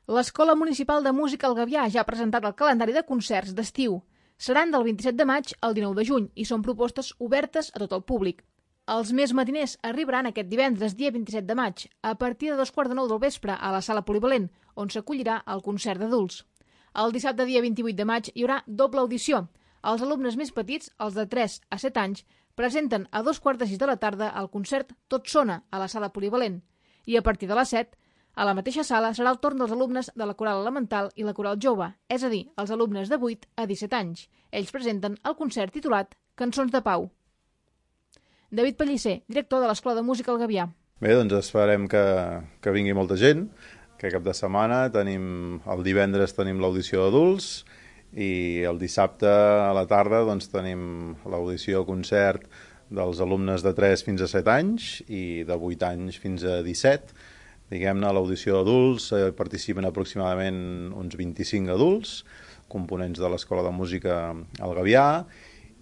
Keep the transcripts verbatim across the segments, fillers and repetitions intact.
L'Escola Municipal de Música al Gavià ja ha presentat el calendari de concerts d'estiu. Seran del vint-i-set de maig al dinou de juny i són propostes obertes a tot el públic. Els més matiners arribaran aquest divendres, dia vint-i-set de maig, a partir de dos quarts de nou del vespre a la Sala Polivalent, on s'acollirà el concert d'adults. El dissabte, dia vint-i-vuit de maig, hi haurà doble audició. Els alumnes més petits, els de tres a set anys, presenten a dos quarts de sis de la tarda el concert Tot sona a la Sala Polivalent. I a partir de les set, a la mateixa sala serà el torn dels alumnes de la coral elemental i la coral jove, és a dir, els alumnes de vuit a disset anys. Ells presenten el concert titulat Cançons de Pau. David Pellicer, director de l'Escola de Música al Gavià. Bé, doncs esperem que, que vingui molta gent, que cap de setmana tenim, el divendres tenim l'audició d'adults i el dissabte a la tarda doncs, tenim l'audició concert dels alumnes de tres fins a set anys i de vuit anys fins a disset. Diguem-ne, a l'audició d'adults eh, participen aproximadament uns vint-i-cinc adults, components de l'Escola de Música al Gavià,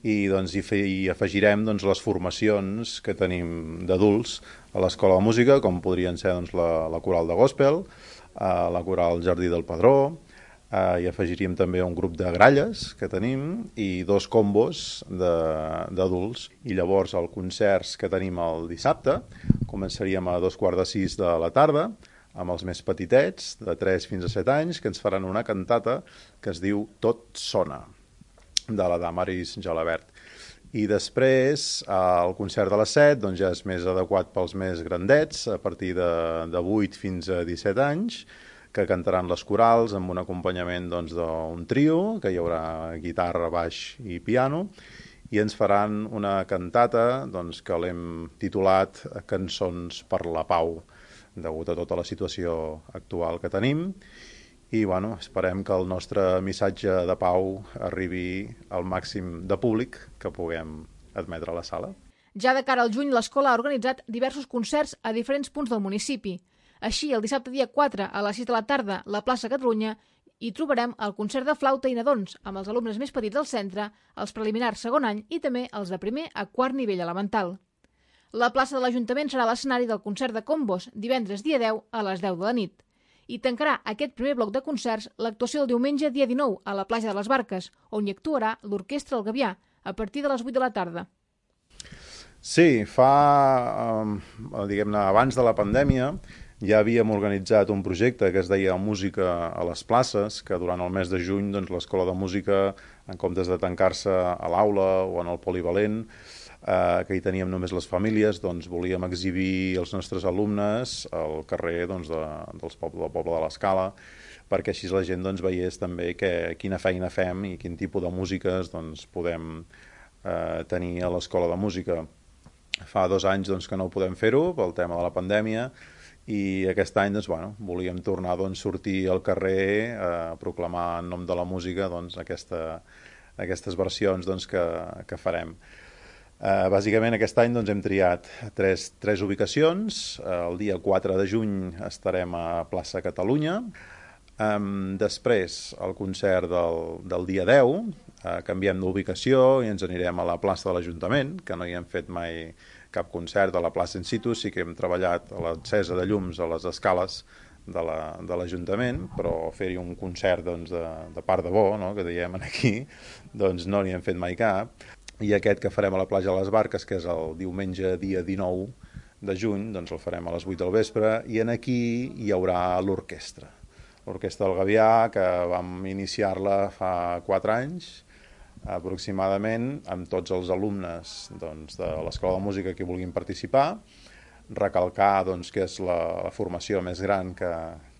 i doncs, hi, fe, hi afegirem doncs, les formacions que tenim d'adults a l'Escola de Música, com podrien ser doncs, la, la coral de gospel, eh, la coral Jardí del Padró, eh, hi afegiríem també un grup de gralles que tenim i dos combos d'adults. I llavors els concerts que tenim el dissabte començaríem a dos quarts de sis de la tarda amb els més petitets, de tres fins a set anys, que ens faran una cantata que es diu Tot sona, de la Damaris Gelabert. I després, el concert de les set doncs ja és més adequat pels més grandets, a partir de, de vuit fins a disset anys, que cantaran les corals amb un acompanyament doncs, d'un trio, que hi haurà guitarra, baix i piano, i ens faran una cantata doncs, que l'hem titulat Cançons per la Pau, degut a tota la situació actual que tenim. I bueno, esperem que el nostre missatge de pau arribi al màxim de públic que puguem admetre a la sala. Ja de cara al juny, l'escola ha organitzat diversos concerts a diferents punts del municipi. Així, el dissabte dia quatre a les sis de la tarda, a la plaça Catalunya, hi trobarem el concert de flauta i nadons amb els alumnes més petits del centre, els preliminars segon any i també els de primer a quart nivell elemental. La plaça de l'Ajuntament serà l'escenari del concert de combos, divendres dia deu a les deu de la nit. I tancarà aquest primer bloc de concerts l'actuació del diumenge dia dinou a la platja de les Barques, on hi actuarà l'Orquestra El Gavià, a partir de les vuit de la tarda. Sí, fa, eh, diguem-ne, abans de la pandèmia, ja havíem organitzat un projecte que es deia Música a les places, que durant el mes de juny doncs, l'Escola de Música, en comptes de tancar-se a l'aula o en el polivalent, eh, que hi teníem només les famílies, doncs volíem exhibir els nostres alumnes al carrer doncs, de, dels poble, del poble de l'Escala, perquè així la gent doncs, veiés també que, quina feina fem i quin tipus de músiques doncs, podem eh, tenir a l'Escola de Música. Fa dos anys doncs, que no podem fer-ho pel tema de la pandèmia, i aquest any doncs, bueno, volíem tornar a doncs, sortir al carrer a proclamar en nom de la música doncs, aquesta, aquestes versions doncs, que, que farem. Uh, bàsicament aquest any doncs, hem triat tres, tres ubicacions. Uh, el dia quatre de juny estarem a plaça Catalunya. Um, després el concert del, del dia deu, uh, canviem d'ubicació i ens anirem a la plaça de l'Ajuntament, que no hi hem fet mai cap concert a la plaça in situ. Sí que hem treballat a l'encesa de llums a les escales de l'Ajuntament, la, però fer-hi un concert doncs, de, de part de bo, no? Que diem aquí, doncs no n'hi hem fet mai cap. I aquest que farem a la platja de les Barques, que és el diumenge dia dinou de juny, doncs el farem a les vuit del vespre, i en aquí hi haurà l'orquestra. L'Orquestra del Gavià, que vam iniciar-la fa quatre anys, aproximadament, amb tots els alumnes doncs, de l'Escola de Música que vulguin participar, recalcar doncs, que és la, la formació més gran que,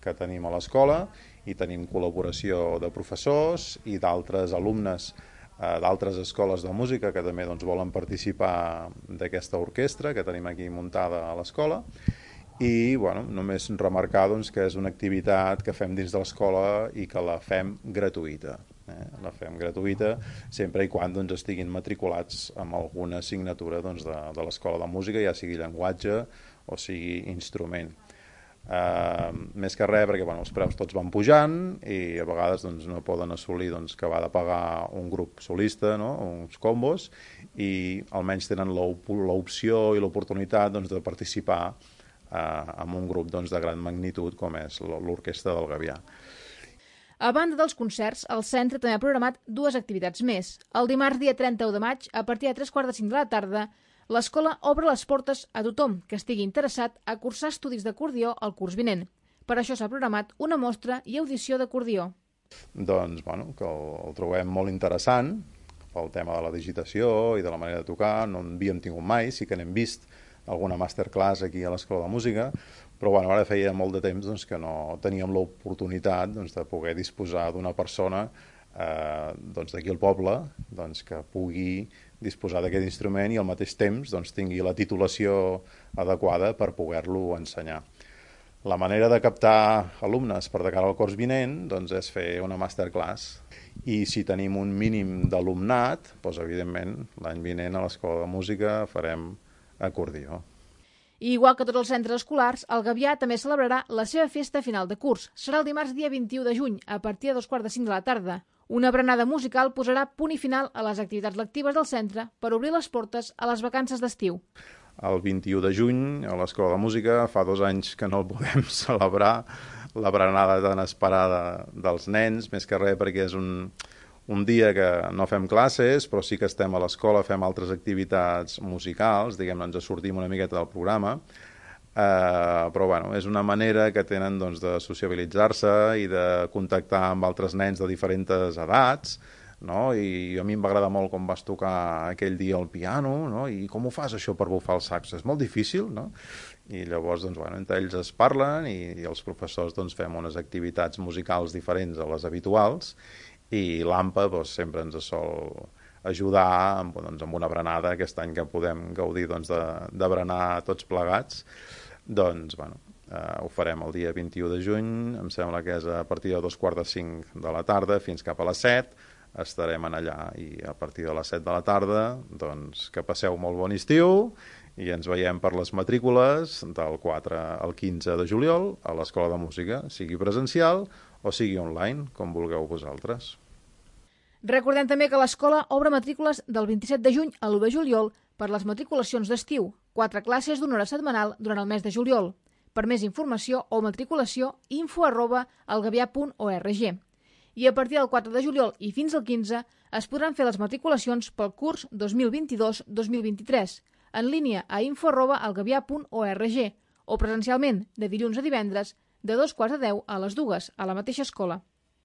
que tenim a l'escola, i tenim col·laboració de professors i d'altres alumnes d'altres escoles de música que també doncs, volen participar d'aquesta orquestra que tenim aquí muntada a l'escola. I bueno, només remarcar doncs, que és una activitat que fem dins de l'escola i que la fem gratuïta. Eh? La fem gratuïta sempre i quan doncs, estiguin matriculats amb alguna assignatura doncs, de, de l'escola de música, ja sigui llenguatge o sigui instrument. Uh, més que res perquè bueno, els preus tots van pujant i a vegades doncs, no poden assolir doncs, que va de pagar un grup solista, no? Uns combos, i almenys tenen l'opció i l'oportunitat doncs, de participar amb un grup doncs, de gran magnitud com és l'Orquestra del Gavià. A banda dels concerts, el centre també ha programat dues activitats més. El dimarts dia trenta-u de maig, a partir de tres quarts de cinc de la tarda, l'escola obre les portes a tothom que estigui interessat a cursar estudis d'acordió al curs vinent. Per això s'ha programat una mostra i audició d'acordió. Doncs, bueno, que el, el trobem molt interessant pel tema de la digitació i de la manera de tocar. No en havíem tingut mai, sí que n'hem vist alguna masterclass aquí a l'Escola de Música, però bueno, ara feia molt de temps doncs, que no teníem l'oportunitat doncs, de poder disposar d'una persona eh, doncs, d'aquí al poble doncs, que pugui disposar d'aquest instrument i al mateix temps doncs, tingui la titulació adequada per poder-lo ensenyar. La manera de captar alumnes per de cara al curs vinent doncs, és fer una masterclass. I si tenim un mínim d'alumnat, doncs, evidentment, l'any vinent a l'Escola de Música farem acordió. I igual que tots els centres escolars, el Gavià també celebrarà la seva festa final de curs. Serà el dimarts dia vint-i-u de juny, a partir de dos quarts de cinc de la tarda. Una berenada musical posarà punt i final a les activitats lectives del centre per obrir les portes a les vacances d'estiu. El vint-i-u de juny, a l'Escola de Música, fa dos anys que no el podem celebrar, la berenada tan esperada dels nens, més que res perquè és un, un dia que no fem classes, però sí que estem a l'escola, fem altres activitats musicals, diguem-ne, ens sortim una miqueta del programa, eh, però bueno, és una manera que tenen doncs, de sociabilitzar-se i de contactar amb altres nens de diferents edats, no? I a mi em va agradar molt com vas tocar aquell dia el piano, no? I com ho fas això per bufar el saxo? És molt difícil, no? I llavors, doncs, bueno, entre ells es parlen i, i els professors doncs, fem unes activitats musicals diferents a les habituals i l'A M P A doncs, sempre ens sol ajudar amb, doncs, amb una berenada, aquest any que podem gaudir doncs, de, de berenar tots plegats, doncs, bueno, eh, ho farem el dia vint-i-u de juny, em sembla que és a partir de dos quarts de cinc de la tarda fins cap a les set, estarem allà i a partir de les set de la tarda doncs que passeu molt bon estiu i ens veiem per les matrícules del quatre al quinze de juliol a l'Escola de Música, sigui presencial o sigui online, com vulgueu vosaltres. Recordem també que l'escola obre matrícules del vint-i-set de juny a l'u de juliol per les matriculacions d'estiu, quatre classes d'una hora setmanal durant el mes de juliol. Per més informació o matriculació, info arroba elgavià punt org. I a partir del quatre de juliol i fins al quinze es podran fer les matriculacions pel curs dos mil vint-i-dos dos mil vint-i-tres en línia a info arroba elgavià punt org o presencialment de dilluns a divendres de dos quarts de deu a les dues a la mateixa escola.